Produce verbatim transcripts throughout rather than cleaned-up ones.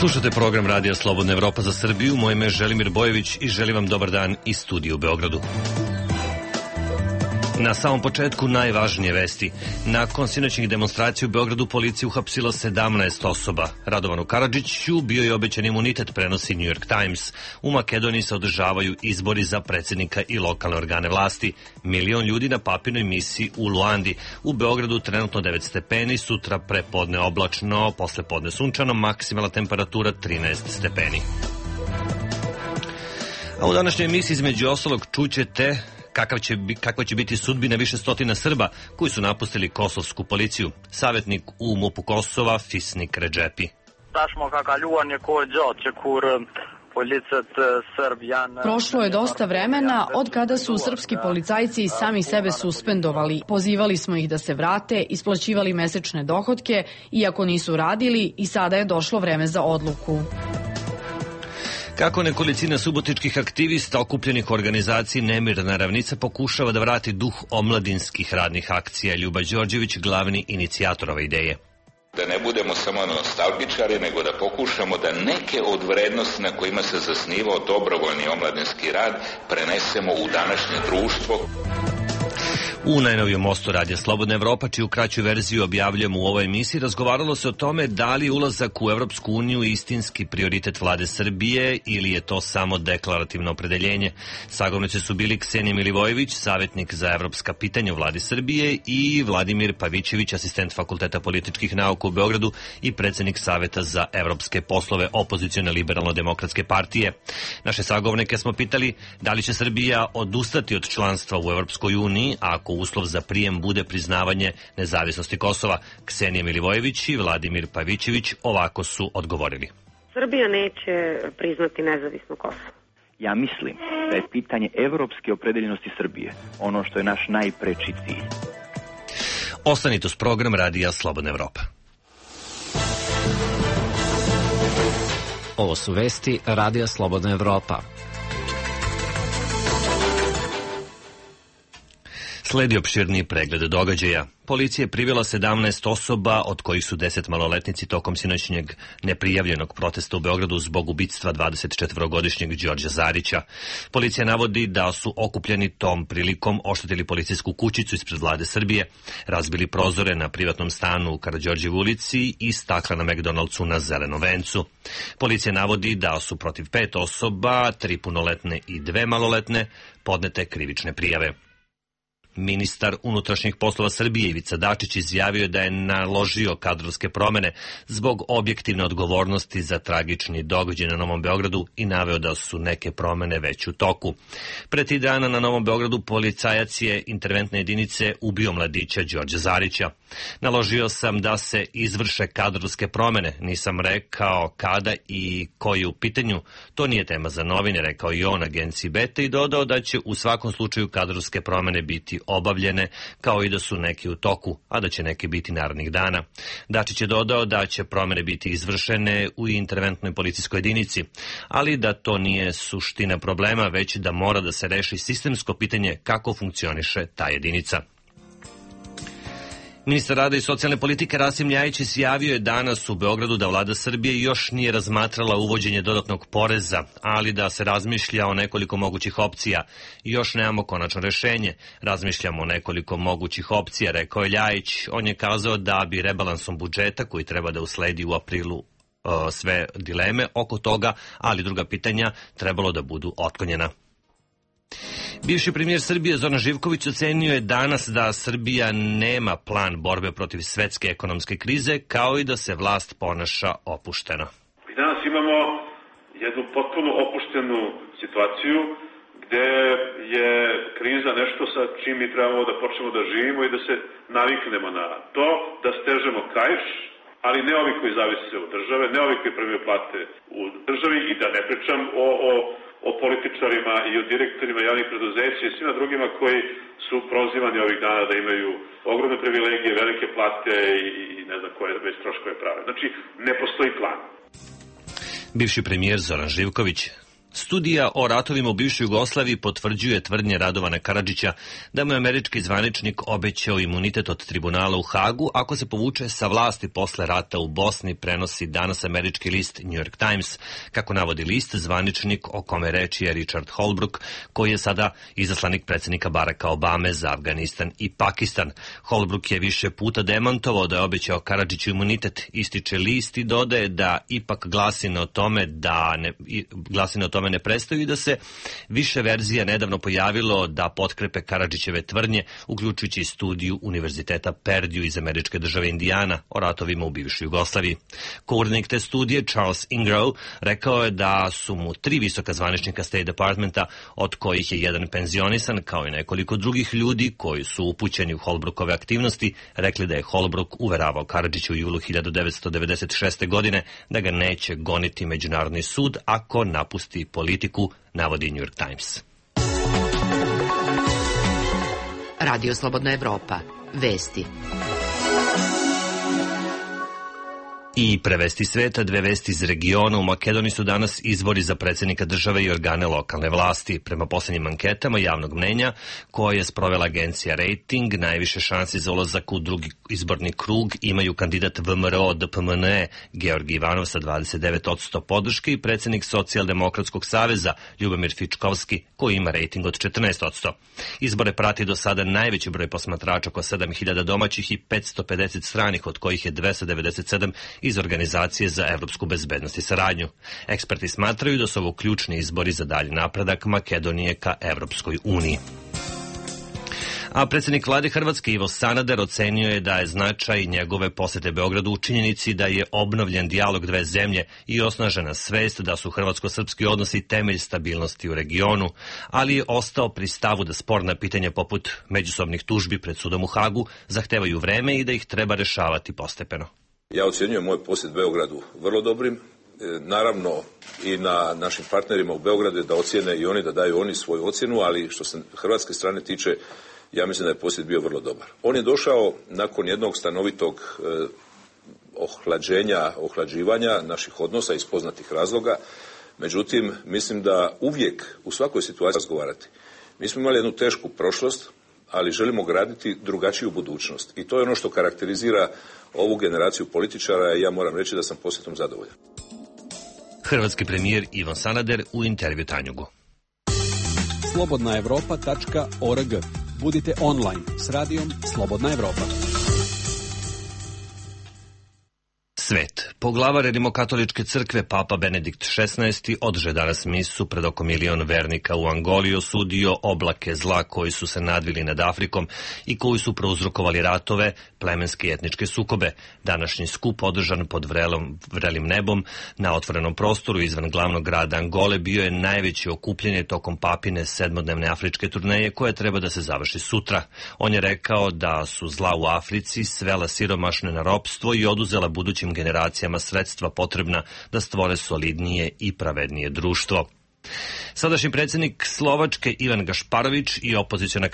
Slušate program Radija Slobodna Evropa za Srbiju. Moje ime je Želimir Bojević i želim vam dobar dan iz studija u Beogradu. Na samom početku najvažnije vesti. Nakon sinoćnih demonstracija u Beogradu policija uhapsila sedamnaest osoba. Radovanu Karadžiću bio je obećan imunitet, prenosi New York Times. U Makedoniji se održavaju izbori za predsjednika i lokalne organe vlasti. Milion ljudi na papirnoj misiji u Luandi. U Beogradu trenutno devet stepeni, sutra prepodne oblačno, posle podne sunčano, maksimalna temperatura trinaest stepeni. A u današnjoj emisiji između ostalog čućete Kakav će, kakva će biti sudbina više stotina Srba koji su napustili kosovsku policiju. Savjetnik u MUP-u Kosova, Fisnik Redžepi. Prošlo je dosta vremena od kada su srpski policajci sami sebe suspendovali. Pozivali smo ih da se vrate, isplaćivali mesečne dohotke, iako nisu radili, i sada je došlo vreme za odluku. Kako nekolicina subotičkih aktivista okupljenih u organizaciji Nemirna ravnica pokušava da vrati duh omladinskih radnih akcija, Ljuba Đorđević, glavni inicijator ove ideje. Da ne budemo samo nostalgičari, nego da pokušamo da neke od vrednosti na kojima se zasnivao dobrovoljni omladinski rad prenesemo u današnje društvo. U najnovijem mostu Radija Slobodna Evropa, čiju kraću verziju objavljujemo u ovoj emisiji, razgovaralo se o tome da li ulazak u Evropsku uniju istinski prioritet vlade Srbije ili je to samo deklarativno opredeljenje. Sagovornici su bili Ksenija Milivojević, savjetnik za evropska pitanja u vladi Srbije, i Vladimir Pavićević, asistent Fakulteta političkih nauka u Beogradu i predsjednik Saveta za evropske poslove opozicione liberalno-demokratske partije. Naše sagovornike smo pitali da li će Srbija odustati od članstva u Evropskoj uniji ako uslov za prijem bude priznavanje nezavisnosti Kosova. Ksenija Milivojević i Vladimir Pavićević ovako su odgovorili. Srbija neće priznati nezavisno Kosovo. Ja mislim da je pitanje evropske opredeljenosti Srbije ono što je naš najpreči cilj. Ostanite uz program Radija Slobodna Evropa. Ovo su vesti Radija Slobodna Evropa. Sledi opširniji pregled događaja. Policija je privela sedamnaest osoba, od kojih su deset maloletnici tokom sinoćnjeg neprijavljenog protesta u Beogradu zbog ubictva dvadesetčetvorogodišnjeg Đorđa Zarića. Policija navodi da su okupljeni tom prilikom oštetili policijsku kućicu ispred vlade Srbije, razbili prozore na privatnom stanu u Karađorđevoj ulici i stakla na McDonald'su na Zelenom vencu. Policija navodi da su protiv pet osoba, tri punoletne i dve maloletne, podnete krivične prijave. Ministar unutrašnjih poslova Srbije Ivica Dačić izjavio da je naložio kadrovske promene zbog objektivne odgovornosti za tragični događaj na Novom Beogradu i naveo da su neke promene već u toku. Pre tri dana na Novom Beogradu policajac je interventne jedinice ubio mladića Đorđa Zarića. Naložio sam da se izvrše kadrovske promene, nisam rekao kada i koji u pitanju. To nije tema za novine, rekao i on agenciji Beta i dodao da će u svakom slučaju kadrovske promene biti obavljene, kao i da su neki u toku, a da će neke biti narednih dana. Dačić je dodao da će promene biti izvršene u interventnoj policijskoj jedinici, ali da to nije suština problema, već da mora da se reši sistemsko pitanje kako funkcioniše ta jedinica. Ministar rada i socijalne politike Rasim Ljajić izjavio je danas u Beogradu da vlada Srbije još nije razmatrala uvođenje dodatnog poreza, ali da se razmišlja o nekoliko mogućih opcija. Još nemamo konačno rešenje. Razmišljamo o nekoliko mogućih opcija, rekao je Ljajić. On je kazao da bi rebalansom budžeta, koji treba da usledi u aprilu, sve dileme oko toga, ali druga pitanja trebalo da budu otklonjena. Bivši premijer Srbije Zoran Živković ocenio je danas da Srbija nema plan borbe protiv svetske ekonomske krize, kao i da se vlast ponaša opušteno. Mi danas imamo jednu potpuno opuštenu situaciju gde je kriza nešto sa čim mi trebamo da počnemo da živimo i da se naviknemo na to, da stežemo kaiš, ali ne ovi koji zavise od države, ne ovi koji primaju plate u državi, i da ne pričam o, o o političarima i o direktorima javnih preduzeća i svima drugima koji su prozivani ovih dana da imaju ogromne privilegije, velike plate i, i ne znam koje već troškove prave. Znači, ne postoji plan. Bivši premijer Zoran Živković. Studija o ratovima u bivšoj Jugoslaviji potvrđuje tvrdnje Radovana Karadžića da mu je američki zvaničnik obećao imunitet od tribunala u Hagu ako se povuče sa vlasti posle rata u Bosni, prenosi danas američki list New York Times. Kako navodi list, zvaničnik o kome reči je Richard Holbrooke, koji je sada izaslanik predsjednika Baracka Obame za Afganistan i Pakistan. Holbrooke je više puta demantovao da je obećao Karadžiću imunitet, ističe list i dodaje da ipak glasine o tome da ne, glasine o tome ne prestaju i da se više verzija nedavno pojavilo da potkrepe Karadžićeve tvrdnje, uključujući i studiju Univerziteta Perdue iz američke države Indijana o ratovima u bivšoj Jugoslaviji. Koordinator te studije, Charles Ingrove, rekao je da su mu tri visoka zvaničnika State Departmenta, od kojih je jedan penzionisan, kao i nekoliko drugih ljudi koji su upućeni u Holbrookove aktivnosti, rekli da je Holbrook uveravao Karadžića u julu hiljadu devetsto devedeset šeste. godine da ga neće goniti Međunarodni sud ako napusti politiku, navodi New York Times. Radio Slobodna Evropa. Vesti. I prevesti sveta, dve vesti iz regiona. U Makedoniji su danas izbori za predsjednika države i organe lokalne vlasti. Prema posljednjim anketama javnog mnenja koje je sprovela agencija Rating, najviše šansi za ulazak u drugi izborni krug imaju kandidat V M R O D P M N E Georgi Ivanov sa dvadeset devet posto podrške i predsjednik Socijaldemokratskog saveza Ljubomir Fičkovski koji ima rating od četrnaest posto. Izbore prati do sada najveći broj posmatrača, oko sedam hiljada domaćih i petsto pedeset stranih, od kojih je dvesta devedeset sedam iz Organizacije za evropsku bezbednost i saradnju. Eksperti smatraju da su ovo ključni izbori za dalji napredak Makedonije ka Evropskoj uniji. A predsjednik vlade Hrvatske Ivo Sanader ocenio je da je značaj njegove posete Beogradu u činjenici da je obnovljen dijalog dve zemlje i osnažena svest da su hrvatsko-srpski odnosi temelj stabilnosti u regionu, ali je ostao pri stavu da sporna pitanja poput međusobnih tužbi pred sudom u Hagu zahtevaju vreme i da ih treba rešavati postepeno. Ja ocjenjujem moj posjet Beogradu vrlo dobrim. Naravno i na našim partnerima u Beogradu da ocjene i oni, da daju oni svoju ocjenu, ali što se hrvatske strane tiče, ja mislim da je posjet bio vrlo dobar. On je došao nakon jednog stanovitog eh, ohlađenja, ohlađivanja naših odnosa iz poznatih razloga. Međutim, mislim da uvijek u svakoj situaciji razgovarati. Mi smo imali jednu tešku prošlost, ali želimo graditi drugačiju budućnost. I to je ono što karakterizira ovu generaciju političara i ja moram reći da sam posjetom zadovoljan. Hrvatski premijer Ivo Sanader u intervju Tanjugu. slobodna evropa tačka org. Budite online s radijom Slobodna Evropa. Svet. Poglavar Rimokatoličke crkve Papa Benedikt šesnaesti odže danas misu pred oko milion vernika u Angoli, osudio oblake zla koji su se nadvili nad Afrikom i koji su prouzrokovali ratove, plemenske i etničke sukobe. Današnji skup održan pod vrelom, vrelim nebom na otvorenom prostoru izvan glavnog grada Angole bio je najveće okupljanje tokom papine sedmodnevne afričke turneje koja treba da se završi sutra. On je rekao da su zla u Africi svela siromašne na ropstvo i oduzela budućim generacijama sredstva potrebna da stvore solidnije i pravednije društvo. Sadašnji predsjednik Slovačke Ivan Gašparović i opoziciona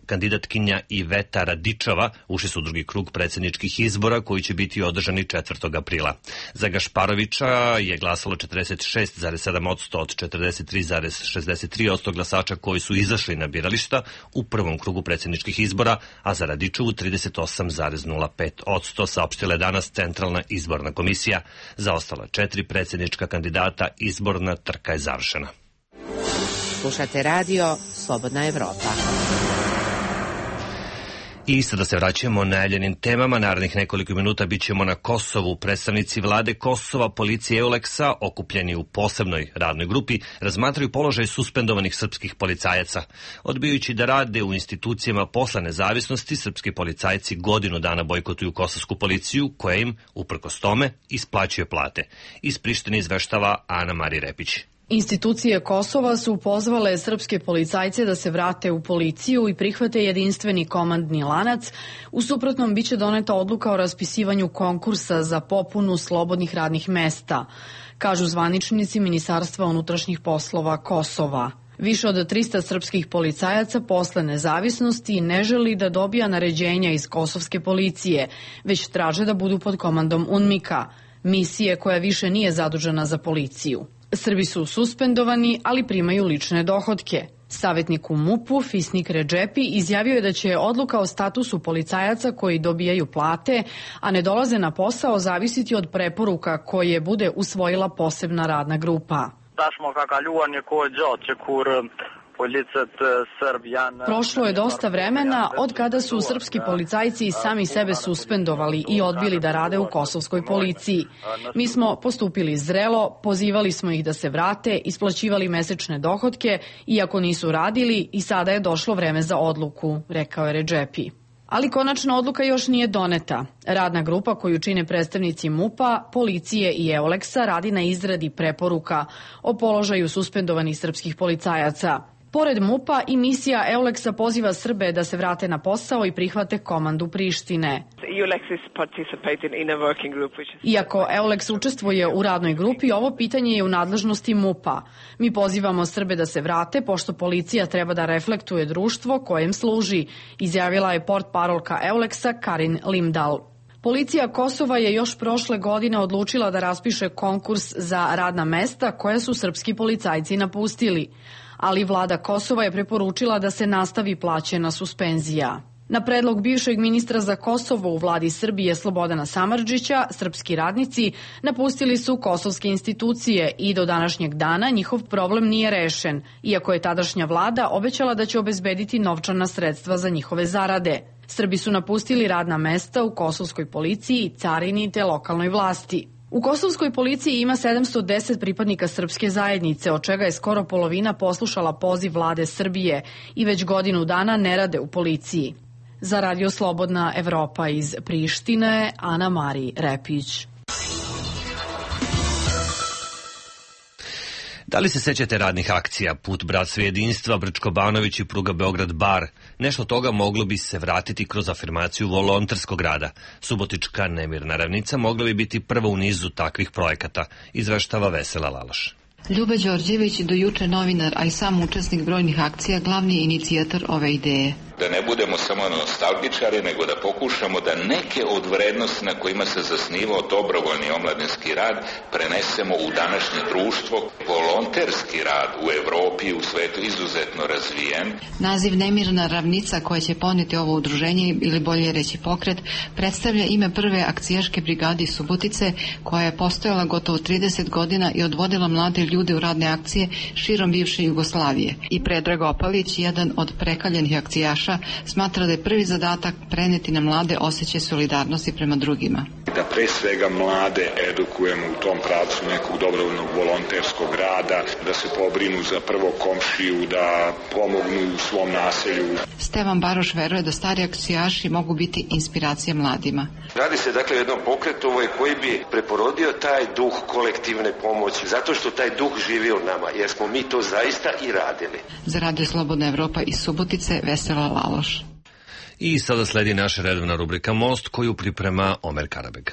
kandidatkinja Iveta Radičova ušli su u drugi krug predsjedničkih izbora koji će biti održani četvrtog aprila. Za Gašparovića je glasalo četrdeset šest zarez sedam posto od četrdeset tri zarez šezdeset tri posto glasača koji su izašli na birališta u prvom krugu predsjedničkih izbora, a za Radičovu trideset osam zarez nula pet posto, saopštila je danas Centralna izborna komisija. Za ostala četiri predsjednička kandidata izborna trka je završena. Slušate radio Slobodna Evropa. I sada se vraćamo najavljenim temama. Narednih nekoliko minuta bit ćemo na Kosovu. Predstavnici vlade Kosova, policije Euleksa, okupljeni u posebnoj radnoj grupi, razmatraju položaj suspendovanih srpskih policajaca. Odbijajući da rade u institucijama posle nezavisnosti, srpski policajci godinu dana bojkotuju kosovsku policiju, koja im, uprkos tome, isplaćuje plate. Iz Prištine izveštava Ana Mari Repić. Institucije Kosova su pozvale srpske policajce da se vrate u policiju i prihvate jedinstveni komandni lanac. U suprotnom biće doneta odluka o raspisivanju konkursa za popunu slobodnih radnih mesta, kažu zvaničnici Ministarstva unutrašnjih poslova Kosova. Više od trista srpskih policajaca posle nezavisnosti ne želi da dobija naređenja iz kosovske policije, već traže da budu pod komandom UNMIK-a, misije koja više nije zadužena za policiju. Srbi su suspendovani, ali primaju lične dohotke. Savetnik u MUP-u Fisnik Redžepi izjavio je da će odluka o statusu policajaca koji dobijaju plate, a ne dolaze na posao, zavisiti od preporuka koje bude usvojila posebna radna grupa. Prošlo je dosta vremena od kada su srpski policajci sami sebe suspendovali i odbili da rade u kosovskoj policiji. Mi smo postupili zrelo, pozivali smo ih da se vrate, isplaćivali mesečne dohotke, iako nisu radili, i sada je došlo vreme za odluku, rekao je Redžepi. Ali konačna odluka još nije doneta. Radna grupa koju čine predstavnici MUP-a, policije i Euleksa radi na izradi preporuka o položaju suspendovanih srpskih policajaca. Pored MUP-a i misija Euleksa poziva Srbe da se vrate na posao i prihvate komandu Prištine. Iako Euleks učestvuje u radnoj grupi, ovo pitanje je u nadležnosti MUP-a. Mi pozivamo Srbe da se vrate, pošto policija treba da reflektuje društvo kojem služi, izjavila je portparolka Euleksa Karin Limdal. Policija Kosova je još prošle godine odlučila da raspiše konkurs za radna mesta koja su srpski policajci napustili, ali vlada Kosova je preporučila da se nastavi plaćena suspenzija. Na predlog bivšeg ministra za Kosovo u vladi Srbije Slobodana Samardžića, srpski radnici napustili su kosovske institucije i do današnjeg dana njihov problem nije rešen, iako je tadašnja vlada obećala da će obezbediti novčana sredstva za njihove zarade. Srbi su napustili radna mesta u kosovskoj policiji, carini te lokalnoj vlasti. U kosovskoj policiji ima sedamsto deset pripadnika srpske zajednice, od čega je skoro polovina poslušala poziv vlade Srbije i već godinu dana ne rade u policiji. Za Radio Slobodna Evropa iz Prištine, Ana Mari Repić. Da li se sećate radnih akcija Put bratstva i jedinstva, Brčko-Banović i pruga Beograd-Bar? Nešto toga moglo bi se vratiti kroz afirmaciju volonterskog rada. Subotička nemirna ravnica mogla bi biti prva u nizu takvih projekata, izveštava Vesela Laloš. Ljuba Đorđević, do juče novinar, a i sam učesnik brojnih akcija, glavni inicijator ove ideje. Da ne budemo samo nostalgičari, nego da pokušamo da neke od vrednosti na kojima se zasnivao dobrovoljni omladinski rad prenesemo u današnje društvo. Volonterski rad u Evropi i u svetu izuzetno razvijen. Naziv Nemirna ravnica, koja će poneti ovo udruženje, ili bolje reći pokret, predstavlja ime prve akcijaške brigade iz Subotice, koja je postojala gotovo trideset godina i odvodila mlade ljude u radne akcije širom bivše Jugoslavije. I Predrag Opalić, jedan od prekaljenih akcijaša, smatra da je prvi zadatak preneti na mlade osjećaj solidarnosti prema drugima. Da pre svega mlade edukujemo u tom pravcu nekog dobrovoljnog volonterskog rada, da se pobrinu za prvo komšiju, da pomognu u svom naselju. Stevan Baroš veruje da stari akcijaši mogu biti inspiracija mladima. Radi se dakle o jednom pokretu koji bi preporodio taj duh kolektivne pomoći, zato što taj duh živi u nama, jer smo mi to zaista i radili. Za Radio Slobodna Evropa iz Subotice, Vesela Laloš. I sada sledi naša redovna rubrika Most, koju priprema Omer Karabeg.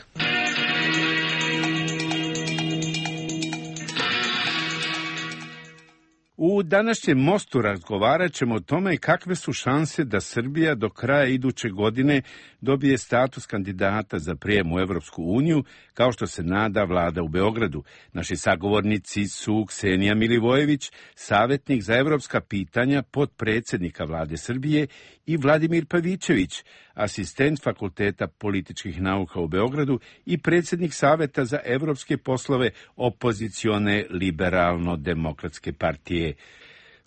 U današnjem Mostu razgovarat ćemo o tome kakve su šanse da Srbija do kraja iduće godine dobije status kandidata za prijem u Evropsku uniju, kao što se nada vlada u Beogradu. Naši sagovornici su Ksenija Milivojević, savjetnik za evropska pitanja potpredsjednika vlade Srbije, i Vladimir Pavićević, asistent Fakulteta političkih nauka u Beogradu i predsjednik Saveta za evropske poslove opozicione liberalno-demokratske partije.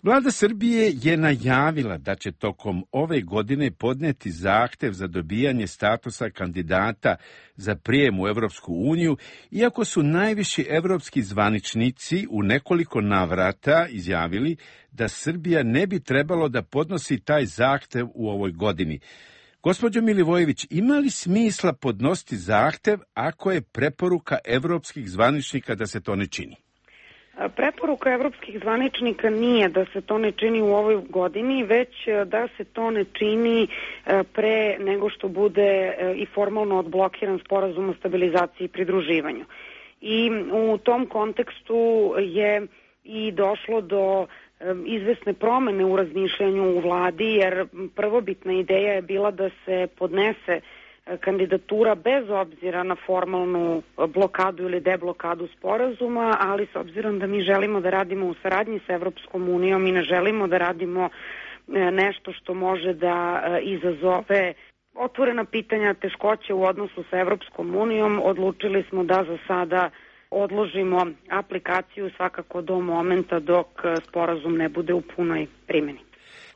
Vlada Srbije je najavila da će tokom ove godine podneti zahtev za dobijanje statusa kandidata za prijem u Evropsku uniju, iako su najviši evropski zvaničnici u nekoliko navrata izjavili da Srbija ne bi trebalo da podnosi taj zahtev u ovoj godini. Gospođo Milivojević, ima li smisla podnositi zahtev ako je preporuka evropskih zvaničnika da se to ne čini? Preporuka evropskih zvaničnika nije da se to ne čini u ovoj godini, već da se to ne čini pre nego što bude i formalno odblokiran sporazum o stabilizaciji i pridruživanju. I u tom kontekstu je i došlo do izvesne promene u razmišljanju u vladi, jer prvobitna ideja je bila da se podnese kandidatura bez obzira na formalnu blokadu ili deblokadu sporazuma, ali s obzirom da mi želimo da radimo u saradnji sa Evropskom unijom i ne želimo da radimo nešto što može da izazove otvorena pitanja, teškoće u odnosu sa Evropskom unijom, odlučili smo da za sada odložimo aplikaciju svakako do momenta dok sporazum ne bude u punoj primjeni.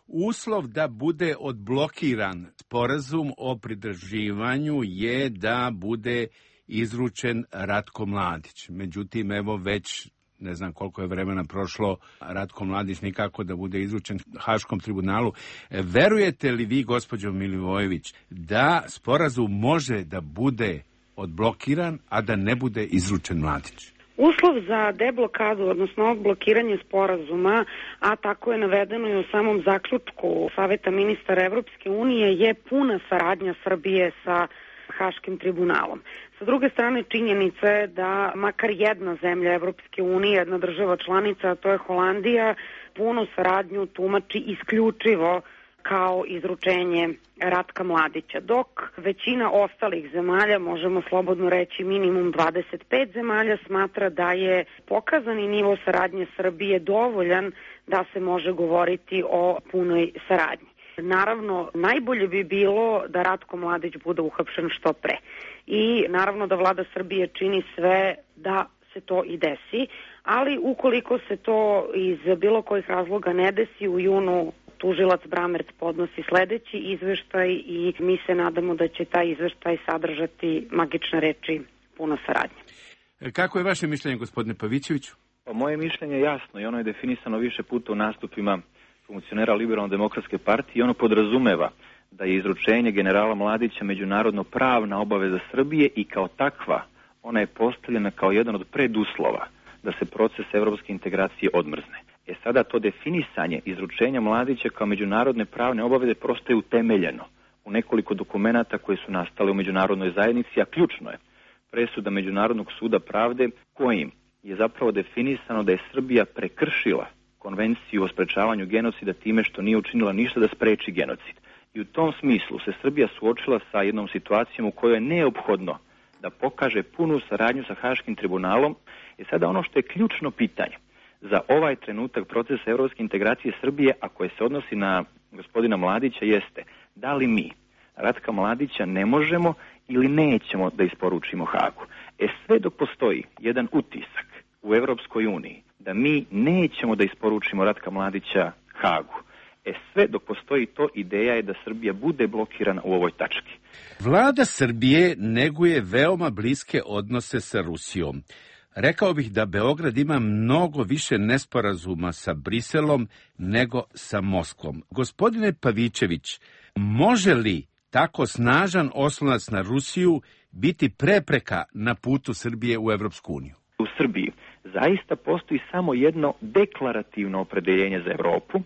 Uslov da bude odblokiran sporazum o pridruživanju je da bude izručen Ratko Mladić. Međutim, evo već ne znam koliko je vremena prošlo, Ratko Mladić nikako da bude izručen Haškom tribunalu. Verujete li vi, gospođo Milivojević, da sporazum može da bude odblokiran, a da ne bude izručen Mladić? Uslov za deblokadu, odnosno odblokiranje sporazuma, a tako je navedeno i u samom zaključku Saveta ministara Evropske unije, je puna saradnja Srbije sa Haškim tribunalom. Sa druge strane, činjenica je da makar jedna zemlja Evropske unije, jedna država članica, a to je Holandija, punu saradnju tumači isključivo kao izručenje Ratka Mladića, dok većina ostalih zemalja, možemo slobodno reći minimum dvadeset pet zemalja, smatra da je pokazani nivo saradnje Srbije dovoljan da se može govoriti o punoj saradnji. Naravno, najbolje bi bilo da Ratko Mladić bude uhapšen što pre. I naravno da vlada Srbije čini sve da se to i desi, ali ukoliko se to iz bilo kojih razloga ne desi, u junu tužilac Bramert podnosi sledeći izveštaj i mi se nadamo da će taj izveštaj sadržati magične reči puna saradnja. Kako je vaše mišljenje, gospodine Pavićeviću? Pa moje mišljenje je jasno i ono je definisano više puta u nastupima funkcionera Liberalno-demokratske partije i ono podrazumeva da je izručenje generala Mladića međunarodno pravna obaveza Srbije i kao takva ona je postavljena kao jedan od preduslova da se proces evropske integracije odmrzne. E sada to definisanje izručenja Mladića kao međunarodne pravne obaveze prosto je utemeljeno u nekoliko dokumenata koje su nastale u međunarodnoj zajednici, a ključno je presuda Međunarodnog suda pravde kojim je zapravo definisano da je Srbija prekršila konvenciju o sprečavanju genocida time što nije učinila ništa da spreči genocid. I u tom smislu se Srbija suočila sa jednom situacijom u kojoj je neophodno da pokaže punu saradnju sa Haškim tribunalom. I sada ono što je ključno pitanje za ovaj trenutak procesa evropske integracije Srbije, a koje se odnosi na gospodina Mladića, jeste da li mi Ratka Mladića ne možemo ili nećemo da isporučimo Hagu. E sve dok postoji jedan utisak u Evropskoj uniji da mi nećemo da isporučimo Ratka Mladića Hagu, e sve dok postoji to, ideja je da Srbija bude blokirana u ovoj tački. Vlada Srbije neguje veoma bliske odnose sa Rusijom. Rekao bih da Beograd ima mnogo više nesporazuma sa Briselom nego sa Moskvom. Gospodine Pavićević, može li tako snažan oslonac na Rusiju biti prepreka na putu Srbije u Evropsku uniju? U Srbiji zaista postoji samo jedno deklarativno opredeljenje za Evropu.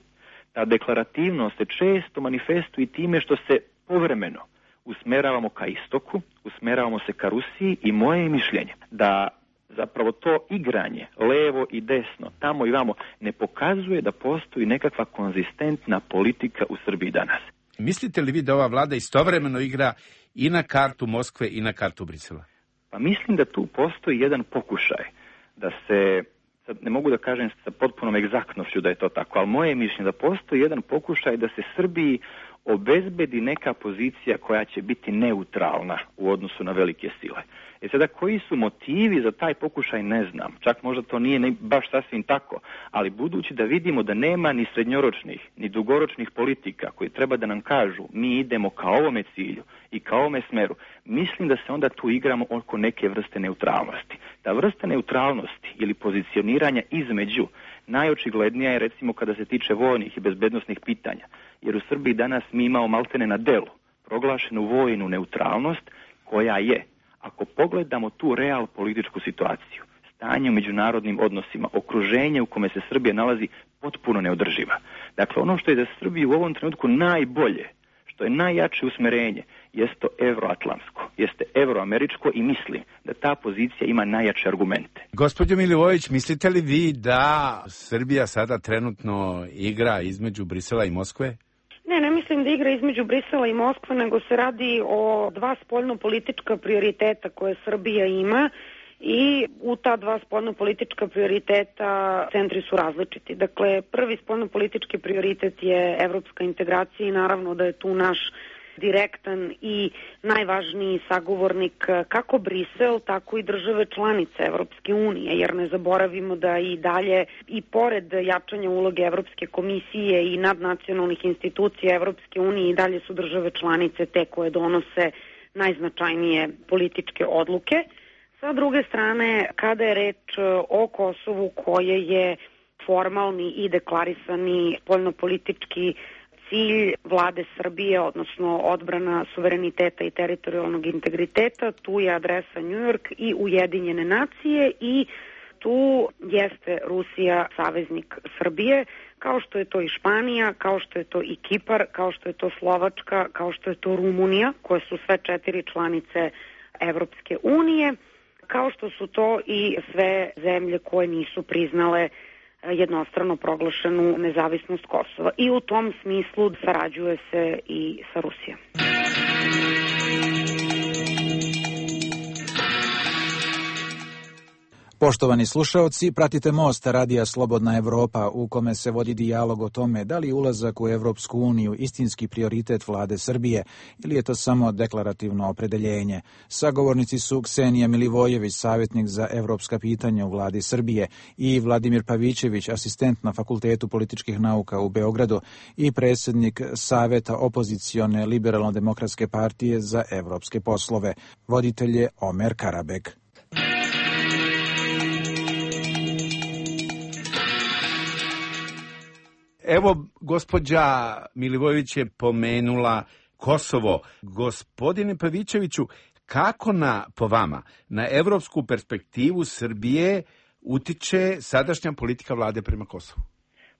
Ta deklarativnost se često manifestuje time što se povremeno usmeravamo ka istoku, usmeravamo se ka Rusiji i moje mišljenje da zapravo to igranje levo i desno, tamo i vamo, ne pokazuje da postoji nekakva konzistentna politika u Srbiji danas. Mislite li vi da ova vlada istovremeno igra i na kartu Moskve i na kartu Brisela? Pa mislim da tu postoji jedan pokušaj da se, sad ne mogu da kažem sa potpunom egzaktnošću da je to tako, ali moje mišljenje da postoji jedan pokušaj da se Srbiji obezbedi neka pozicija koja će biti neutralna u odnosu na velike sile. E sada, koji su motivi za taj pokušaj, ne znam. Čak možda to nije ne, baš sasvim tako, ali budući da vidimo da nema ni srednjoročnih, ni dugoročnih politika koji treba da nam kažu mi idemo ka ovome cilju i ka ovome smeru, mislim da se onda tu igramo oko neke vrste neutralnosti. Ta vrsta neutralnosti ili pozicioniranja između najočiglednija je recimo kada se tiče vojnih i bezbednosnih pitanja, jer u Srbiji danas mi imamo maltene na delu proglašenu vojnu neutralnost koja je, ako pogledamo tu real političku situaciju, stanje u međunarodnim odnosima, okruženje u kome se Srbija nalazi, potpuno neodrživa. Dakle, ono što je za Srbiju u ovom trenutku najbolje, što je najjače usmerenje, jeste evroatlantsko, jeste evroameričko i mislim da ta pozicija ima najjače argumente. Gospođo Milivojević, mislite li vi da Srbija sada trenutno igra između Brisela i Moskve? Ne, ne mislim mislim da igra između Brisela i Moskve, nego se radi o dva spoljno-politička prioriteta koje Srbija ima i u ta dva spoljno-politička prioriteta centri su različiti. Dakle, prvi spoljno-politički prioritet je evropska integracija i naravno da je tu naš direktan i najvažniji sagovornik kako Brisel, tako i države članice Evropske unije, jer ne zaboravimo da i dalje, i pored jačanja uloge Evropske komisije i nadnacionalnih institucija Evropske unije, i dalje su države članice te koje donose najznačajnije političke odluke. Sa druge strane, kada je reč o Kosovu, koje je formalni i deklarisani spoljnopolitički cilj vlade Srbije, odnosno odbrana suvereniteta i teritorijalnog integriteta, tu je adresa New York i Ujedinjene nacije i tu jeste Rusija saveznik Srbije, kao što je to i Španija, kao što je to i Kipar, kao što je to Slovačka, kao što je to Rumunija, koje su sve četiri članice Evropske unije, kao što su to i sve zemlje koje nisu priznale jednostrano proglašenu nezavisnost Kosova. I u tom smislu sarađuje se i sa Rusijom. Poštovani slušaoci, pratite Most radija Slobodna Evropa, u kome se vodi dijalog o tome da li je ulazak u Evropsku uniju istinski prioritet vlade Srbije ili je to samo deklarativno opredeljenje. Sagovornici su Ksenija Milivojević, savjetnik za evropska pitanja u vladi Srbije, i Vladimir Pavićević, asistent na Fakultetu političkih nauka u Beogradu i predsjednik Saveta opozicione Liberalno-demokratske partije za evropske poslove. Voditelj je Omer Karabek. Evo, gospođa Milivojević je pomenula Kosovo. Gospodine Pavićeviću, kako na, po vama, na evropsku perspektivu Srbije utiče sadašnja politika vlade prema Kosovu?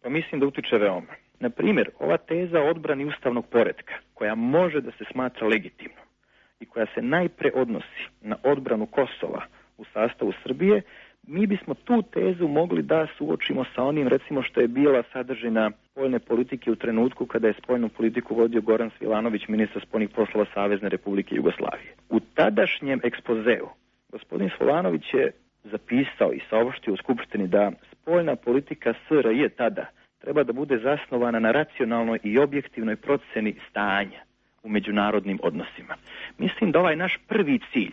Pa mislim da utiče veoma. Na primjer, ova teza o odbrani ustavnog poretka, koja može da se smatra legitimnom i koja se najpre odnosi na odbranu Kosova u sastavu Srbije, mi bismo tu tezu mogli da suočimo sa onim, recimo, što je bila sadržina spoljne politike u trenutku kada je spoljnu politiku vodio Goran Svilanović, ministar spoljnih poslova Savezne Republike Jugoslavije. U tadašnjem ekspozeu gospodin Svilanović je zapisao i saopštio u Skupštini da spoljna politika S R J tada treba da bude zasnovana na racionalnoj i objektivnoj proceni stanja u međunarodnim odnosima. Mislim da ovaj naš prvi cilj,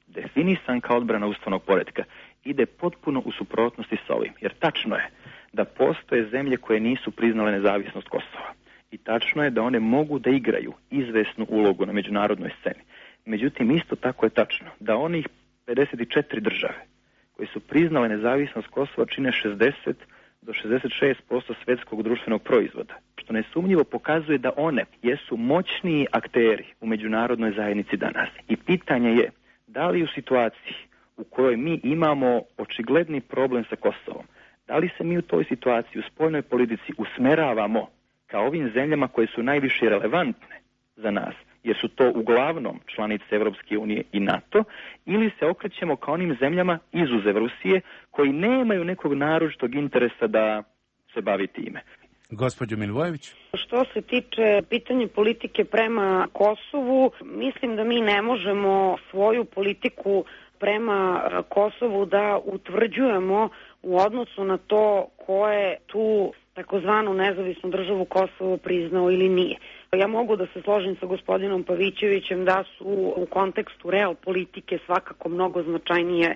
definisan kao odbrana ustavnog poretka, ide potpuno u suprotnosti sa ovim. Jer tačno je da postoje zemlje koje nisu priznale nezavisnost Kosova. I tačno je da one mogu da igraju izvesnu ulogu na međunarodnoj sceni. Međutim, isto tako je tačno da onih pedeset četiri države koje su priznale nezavisnost Kosova čine šezdeset do šezdeset šest posto svetskog društvenog proizvoda, što nesumnjivo pokazuje da one jesu moćniji akteri u međunarodnoj zajednici danas. I pitanje je da li u situaciji u kojoj mi imamo očigledni problem sa Kosovom, da li se mi u toj situaciji u spoljnoj politici usmeravamo ka ovim zemljama koje su najviše relevantne za nas, jer su to uglavnom članice Evropske unije i NATO, ili se okrećemo ka onim zemljama izuzev Rusije koji nemaju nekog naročitog interesa da se bavi time. Gospođo Milivojević. Što se tiče pitanja politike prema Kosovu, mislim da mi ne možemo svoju politiku prema Kosovu da utvrđujemo u odnosu na to ko je tu takozvanu nezavisnu državu Kosovo priznao ili nije. Ja mogu da se složim sa gospodinom Pavićevićem da su u kontekstu real politike svakako mnogo značajnije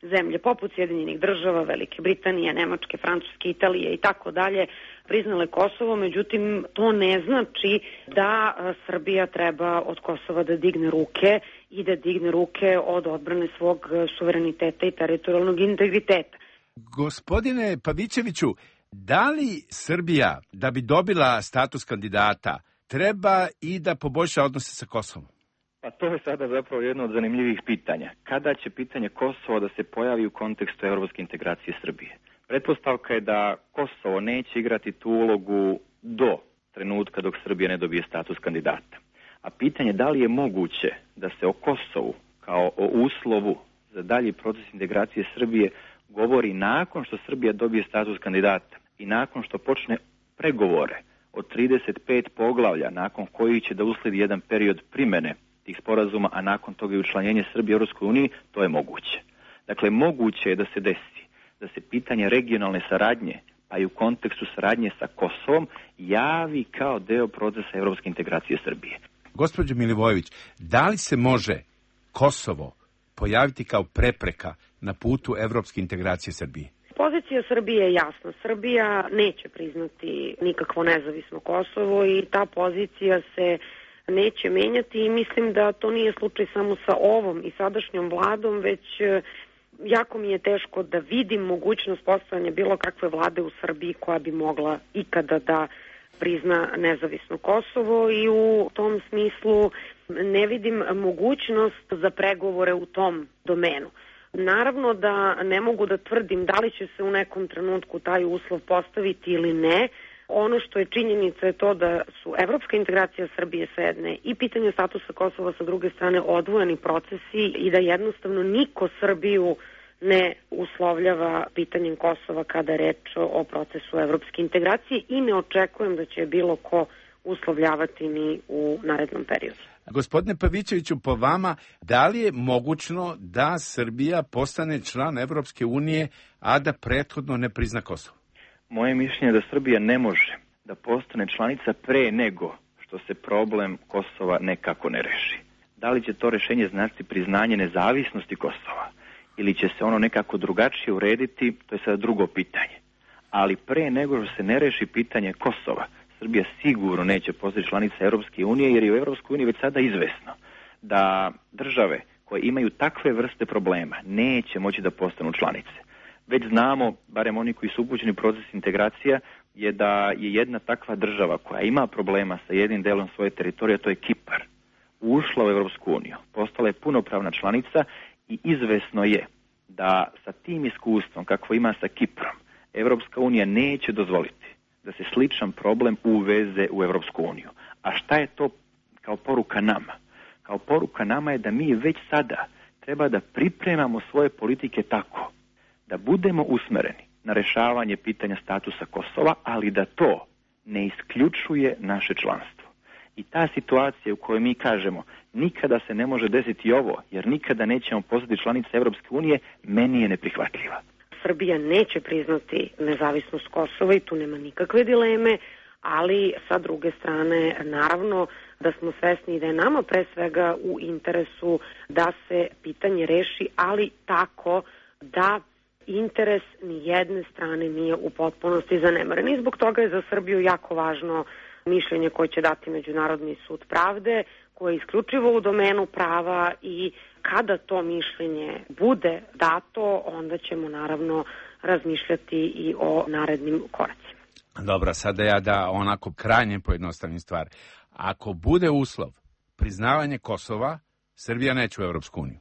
zemlje poput Sjedinjenih država, Velike Britanije, Nemačke, Francuske, Italije i tako dalje priznale Kosovo, međutim to ne znači da Srbija treba od Kosova da digne ruke i da digne ruke od odbrane svog suvereniteta i teritorijalnog integriteta. Gospodine Pavićeviću, da li Srbija, da bi dobila status kandidata, treba i da poboljša odnose sa Kosovom? Pa to je sada zapravo jedno od zanimljivih pitanja. Kada će pitanje Kosova da se pojavi u kontekstu evropske integracije Srbije? Pretpostavka je da Kosovo neće igrati tu ulogu do trenutka dok Srbija ne dobije status kandidata. A pitanje da li je moguće da se o Kosovu kao o uslovu za dalji proces integracije Srbije govori nakon što Srbija dobije status kandidata i nakon što počne pregovore od trideset pet poglavlja nakon kojih će da usledi jedan period primene tih sporazuma, a nakon toga i učlanjenje Srbije u Europskoj uniji, to je moguće. Dakle, moguće je da se desi da se pitanje regionalne saradnje, pa i u kontekstu saradnje sa Kosovom, javi kao deo procesa evropske integracije Srbije. Gospođo Milivojević, da li se može Kosovo pojaviti kao prepreka na putu evropske integracije Srbije? Pozicija Srbije je jasna. Srbija neće priznati nikakvo nezavisno Kosovo i ta pozicija se neće menjati i mislim da to nije slučaj samo sa ovom i sadašnjom vladom, već jako mi je teško da vidim mogućnost postojanja bilo kakve vlade u Srbiji koja bi mogla ikada da prizna nezavisno Kosovo i u tom smislu ne vidim mogućnost za pregovore u tom domenu. Naravno da ne mogu da tvrdim da li će se u nekom trenutku taj uslov postaviti ili ne. Ono što je činjenica je to da su evropska integracija Srbije sa jedne i pitanje statusa Kosova sa druge strane odvojeni procesi i da jednostavno niko Srbiju ne uslovljava pitanjem Kosova kada je reč o procesu evropske integracije i ne očekujem da će bilo ko uslovljavati ni u narednom periodu. Gospodine Pavićeviću, po vama, da li je mogućno da Srbija postane član Evropske unije, a da prethodno ne prizna Kosovo? Moje mišljenje je da Srbija ne može da postane članica pre nego što se problem Kosova nekako ne reši. Da li će to rešenje značiti priznanje nezavisnosti Kosova ili će se ono nekako drugačije urediti, to je sada drugo pitanje. Ali pre nego što se ne reši pitanje Kosova, Srbija sigurno neće postati članica Europske unije, jer je u Europskoj uniji već sada izvesno da države koje imaju takve vrste problema neće moći da postanu članice. Već znamo, barem oni koji su upućeni u proces integracija, je da je jedna takva država koja ima problema sa jednim delom svoje teritorije, to je Kipar, ušla u Europsku uniju, postala je punopravna članica i izvesno je da sa tim iskustvom kakvo ima sa Kiprom, Europska unija neće dozvoliti da se sličan problem uveze u Europsku uniju. A šta je to kao poruka nama? Kao poruka nama je da mi već sada treba da pripremamo svoje politike tako da budemo usmereni na rešavanje pitanja statusa Kosova, ali da to ne isključuje naše članstvo. I ta situacija u kojoj mi kažemo nikada se ne može desiti ovo, jer nikada nećemo postati članica Europske unije, meni je neprihvatljiva. Srbija neće priznati nezavisnost Kosova i tu nema nikakve dileme, ali sa druge strane naravno da smo svesni da je nama pre svega u interesu da se pitanje reši, ali tako da interes ni jedne strane nije u potpunosti zanemaren. I zbog toga je za Srbiju jako važno mišljenje koje će dati Međunarodni sud pravde, koje je isključivo u domenu prava i kada to mišljenje bude dato, onda ćemo naravno razmišljati i o narednim koracima. Dobro, sada ja da onako krajnje pojednostavnim stvar. Ako bude uslov priznavanje Kosova, Srbija neće u Europsku uniju.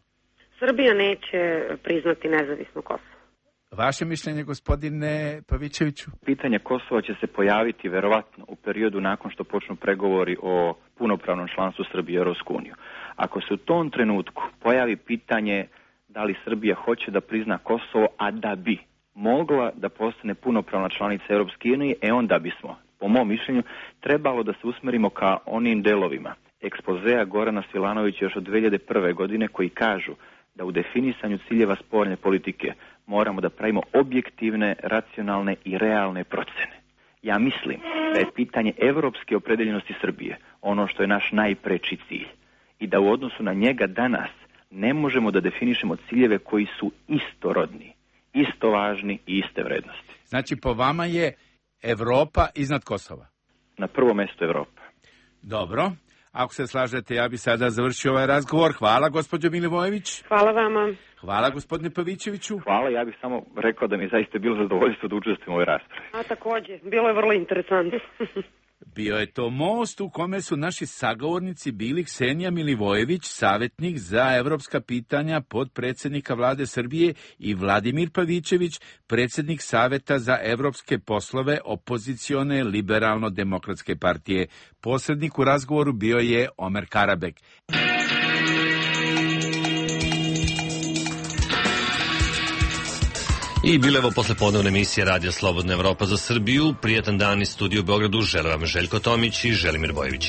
Srbija neće priznati nezavisno Kosovo. Vaše mišljenje, gospodine Pavićeviću? Pitanje Kosova će se pojaviti verovatno u periodu nakon što počnu pregovori o punopravnom članstvu Srbije u Europsku uniju. Ako se u tom trenutku pojavi pitanje da li Srbija hoće da prizna Kosovo, a da bi mogla da postane punopravna članica Europske unije, e onda bismo, po mom mišljenju, trebalo da se usmerimo ka onim delovima ekspozea Gorana Svilanovića još od dve hiljade prve. godine koji kažu da u definisanju ciljeva spoljne politike moramo da pravimo objektivne, racionalne i realne procene. Ja mislim da je pitanje evropske opredeljenosti Srbije ono što je naš najpreči cilj i da u odnosu na njega danas ne možemo da definišemo ciljeve koji su istorodni, isto važni i iste vrednosti. Znači, po vama je Evropa iznad Kosova? Na prvo mesto Evropa. Dobro. Ako se slažete, ja bi sada završio ovaj razgovor. Hvala, gospođo Milivojević. Hvala vama. Hvala, gospodine Pavićeviću. Hvala, ja bih samo rekao da mi je zaista bilo zadovoljstvo da učestvujem u ovoj raspravi. A takođe, bilo je vrlo interesantno. Bio je to most u kome su naši sagovornici bili Ksenija Milivojević, savjetnik za evropska pitanja potpredsednika vlade Srbije, i Vladimir Pavićević, predsjednik Saveta za evropske poslove opozicione liberalno-demokratske partije. Posrednik u razgovoru bio je Omer Karabek. I bilo evo poslepodnevna emisija Radija Slobodna Evropa za Srbiju. Prijetan dan iz studiju u Beogradu. Žele vam Željko Tomić i Želimir Bojević.